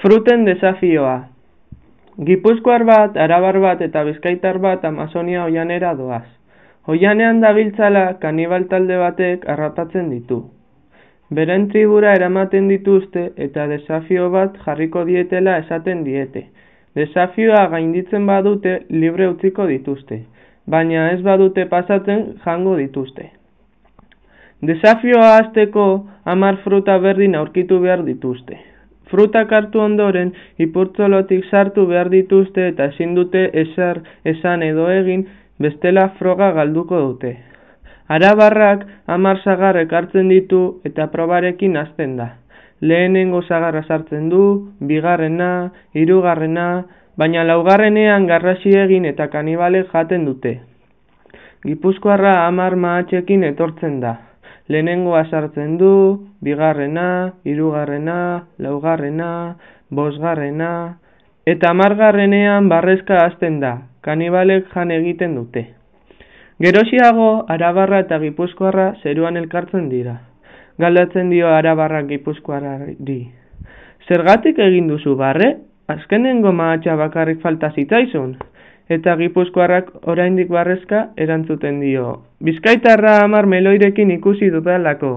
Fruten desafioa. Gipuzkoar bat, arabar bat eta bizkaitar bat Amazonia oihanera doaz. Oihanean dabiltzala kanibal talde batek harrapatzen ditu. Beren tribura eramaten dituzte eta desafio bat jarriko dietela esaten diete. Desafioa gainditzen badute libre utziko dituzte, baina ez badute pasatzen jango dituzte. Desafioa hasteko 10 fruta berdin aurkitu behar dituzte. Frutak hartu ondoren, ipurtzolotik sartu behar dituzte eta ezin dute ezer esan edo egin, bestela froga galduko dute. Arabarrak 10 sagar ekartzen ditu eta probarekin hasten da. Lehenengo sagarra sartzen du, bigarrena, hirugarrena, baina laugarrenean garrasi egin eta kanibalek jaten dute. Gipuzkoarra 10 mahatxekin etortzen da. Lehenengoa sartzen du, bigarrena, hirugarrena, laugarrena, bosgarrena, eta 10garrenean barrezka hasten da, kanibalek jan egiten dute. Gerosiago, arabarra eta gipuzkoarra zeruan elkartzen dira. Galdetzen dio arabarrak gipuzkoarrari. Zergatik egin duzu barre? Azkenengo mahatxa bakarrik falta zitzaizun. Eta gipuzkoarrak oraindik barrezka erantzuten dio. Bizkaitarra 10 meloirekin ikusi dudalako.